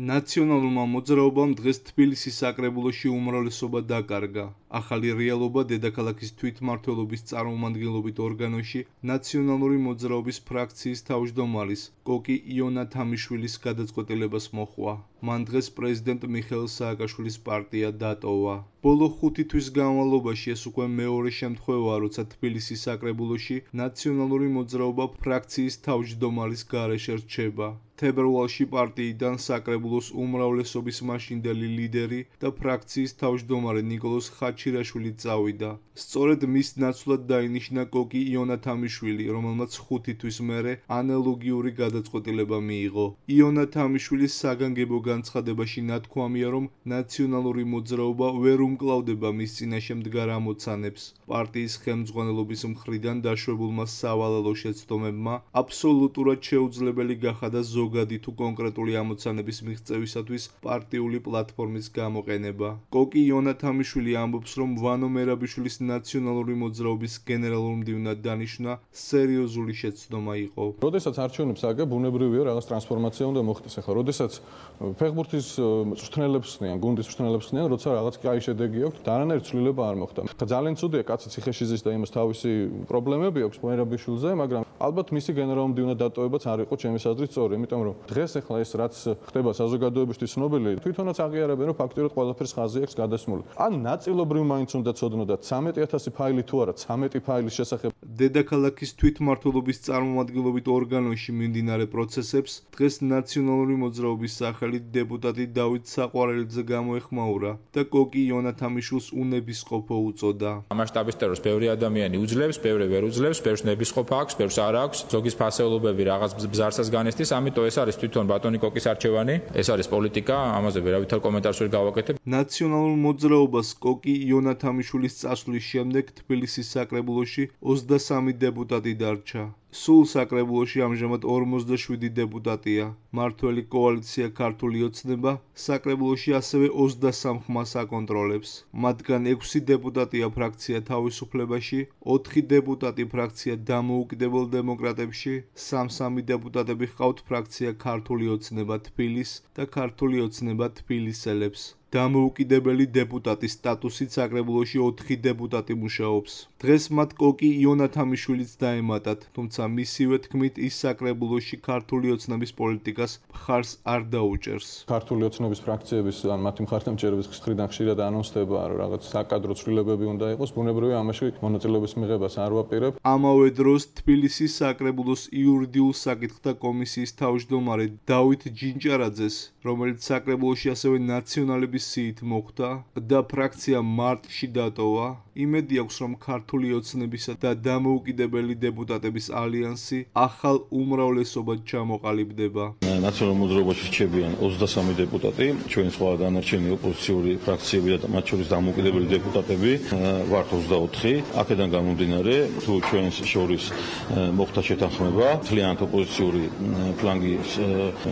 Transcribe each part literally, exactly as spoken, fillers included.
ნაციონალურმა მოძრაობამ დღეს თბილისის საკრებულოში უმრავლესობა დაკარგა. ახალი რეალობა დედაქალაქის თვითმმართველობის წარმომადგენლობით ორგანოში ნაციონალური მოძრაობის ფრაქციის თავმჯდომარის კოკი იონა თამიშვილის გადაწყვეტილებას მოჰყვა. მან დღეს პრეზიდენტ მიხეილ სააკაშვილის პარტია დატოვა. ბოლო ხუთი თვის განმავლობაში ეს უკვე მეორე შემთხვევაა, როცა თბილისის საკრებულოში ნაციონალური მოძრაობა ფრაქციის თავმჯდომარის გარეშე რჩება. თებერვალში პარტიიდან საკრებულოს უმრავლესობის მაშინდელი ლიდერი და ფრაქციის თავმჯდომარე ნიკოლოზ ხაჩირაშვილი წავიდა. სწორედ მის ნაცვლად დაინიშნა კოკი იონა თამიშვილი, რომელმაც ხუთი თვის მერე ანალოგიური გადაწყვეტილება მიიღო. იონა თამიშვილის საგანგებო განცხადებაში ნათქვამია, რომ ნაციონალური მოძრაობა ვერ უმკლავდება მის წინაშე მდგარ ამოცანებს. პარტიის ხელმძღვანელობის მხრიდან დაშვებულმა სავალალო შეცდომებმა აბსოლუტურად შეუძლებელი გახადა ზოგადი თუ კონკრეტული ამოცანების მიღწევისათვის პარტიული პლატფორმის გამოყენება. კოკი იონა თამიშვილი ამბობს, რომ ვანო მერაბიშვილის ნაციონალური მოძრაობის გენერალურ მდივნად დანიშვნა სერიოზული შეცდომა იყო. როდესაც არჩევნებს აგებ, ბუნებრივია რაღაც ტრანსფორმაცია უნდა მოხდეს. ახლა როდესაც ფეხბურთის მწვრთნელებს ხსნიან, გუნდის მწვრთნელებს ხსნიან, როცა რაღაც კაი შედეგი აქვს, არანაირი ცვლილება არ მოხდა. ძალიან ცუდია, კაცი ციხეში ზის და იმას თავისი პრობლემები აქვს მერაბიშვილზე, მაგრამ ალბათ მისი გენერალურ მდივნად დატოვებაც არ იყო ჩემი აზრით სწორი, იმიტომ რომ დღეს ახლა ეს რაც ხდება საზოგადოებისთვის ცნობილი, თვითონაც აღიარებენ, რომ ფაქტიურად ყველაფერს ხაზი აქვს გადასმული. ან ნაწილობრივ მაინც უნდა ცოდნოდათ ცამეტი ათასი ფაილი თუ არა, ცამეტი ფაილის შესახებ. დედაქალაქის თვითმმართველობის წარმომადგენლობით ორგანოში მიმდინარე პროცესებს დღეს ნაციონალური მოძრაობის სახელით დეპუტატი დავით საყვარელიძე გამოეხმაურა და კოკი იონა თამიშვილს უნებისყოფო უწოდა. მასშტაბის ტერორს ბევრი ადამიანი უძლებს, ბევრი ვერ უძლებს, ბევრს ნებისყოფა აქვს, ბევრს არ აქვს. ზოგის ფასეულობები რაღაც ბზარსას განესტის, ამიტომ ეს არის თვითონ ბატონი კოკის არჩევანი, ეს არის პოლიტიკა, ამაზე ვერავითარ კომენტარს ვერ გავაკეთებ. ნაციონალურ მოძრაობას კოკი იონა თამიშვილის წასვლის შემდეგ თბილისის საკრებულოში ოცდასამი დეპუტატი დარჩა. სულ საკრებულოში ამჟამად ორმოცდაშვიდი დეპუტატია. მართველი კოალიცია ქართული ოცნება საკრებულოში ასევე ოცდასამ ხმას აკონტროლებს. მათგან ექვსი დეპუტატია ფრაქცია თავისუფლებაში, ოთხი დეპუტატი ფრაქცია დამოუკიდებელ დემოკრატებში, სამ-სამი დეპუტატები ჰყავთ ფრაქცია ქართული ოცნება თბილის და ქართული ოცნება თბილისელებს. დამოუკიდებელი დეპუტატის სტატუსით საკრებულოში ოთხი დეპუტატი მუშაობს. დღეს მათ კოკი იონა თამიშვილიც დაემატათ, თუმცა მისივე თქმით ის საკრებულოში ქართული ოცნების პოლიტიკას მხარს არ დაუჭერს. ქართული ოცნების ფრაქციების ან მათი მხარდამჭერების მხრიდან ხშირად ანონსდება, რომ რაღაც საკადრო ცვლილებები უნდა იყოს, ბუნებრივია ამაში მონაწილეობის მიღებას არ ვაპირებ. ამავე დროს თბილისის საკრებულოს იურიდიულ საკითხთა კომისიის თავმჯდომარე დავით ჯინჭარაძეს, რომელიც საკრებულოში ასევე ნაციონალების სიით მოხვდა და ფრაქცია მარტში დატოვა, იმედი აქვს, რომ ქართული ოცნებისა და დამოუკიდებელი დეპუტატების ალიანსი ახალ უმრავლესობად ჩამოყალიბდება. ნაციონალურ მოძრაობაში რჩებიან ოცდასამი დეპუტატი, ჩვენ სხვა დანარჩენი ოპოზიციური ფრაქციები და მათ შორის დამოუკიდებელი დეპუტატები ვართ ოცდაოთხი. აქედან გამომდინარე, თუ ჩვენს შორის მოხდა შეთანხმება, მთლიანად ოპოზიციური ფლანგის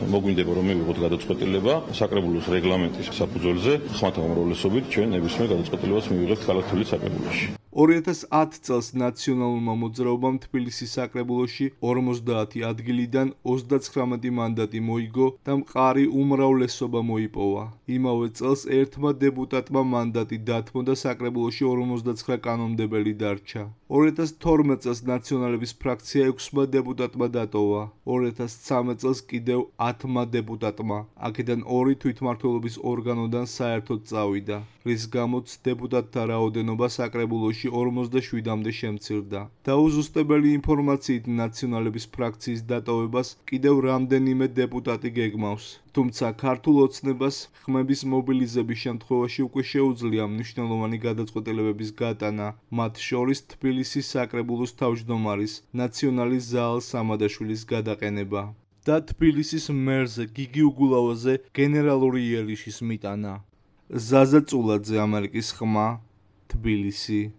მოგვინდება, რომ მივიღოთ გადაწყვეტილება საკრებულოს რეგლამენტის საფუძველზე, ხმათა უმრავლესობით ჩვენ ნებისმიერ გადაწყვეტილებას მივიღებთ ქალაქ თბილისის საკრებულოში. ორი ათას ათი წელს ნაციონალურმა მოძრაობამ თბილისის საკრებულოში ორმოცდაათი ადგილიდან ოცდაცხრამეტი მანდატი მოიგო და მყარი უმრავლესობა მოიპოვა. იმავე წელს ერთმა დეპუტატმა მანდატი დათმო და საკრებულოში ორმოცდაცხრა კანონმდებელი დარჩა. ორი ათას თორმეტ წელს ნაციონალების ფრაქცია ექვსმა დეპუტატმა დატოვა. ორი ათას ცხრამეტ წელს კიდევ ათმა დეპუტატმა. აქედან ორი თვითმმართველობის ორგანოდან საერთოდ წავიდა, რის გამოც დეპუტატთა რაოდენობა საკრებულოში ორმოცდაშვიდამდე შემცირდა. დაუზუსტებელი ინფორმაციით ნაციონალების ფრაქციის დატოვებას კიდევ რამდენიმე დეპუტატი გეგმავს. თუმცა ქართულ ოცნებას ხმების მობილიზების შემთხვევაში უკვე შეუძლია მნიშვნელოვანი გადაწყვეტილებების გატანა, მათ შორის თბილისის საკრებულოს თავმჯდომარის ნაციონალის ზაალ სამადაშვილის გადაყენება და თბილისის მერზე გიგი უგულავაზე გენერალური იერიში მიტანა. ზაზა წულაძე, ამერიკის ხმა, თბილისი.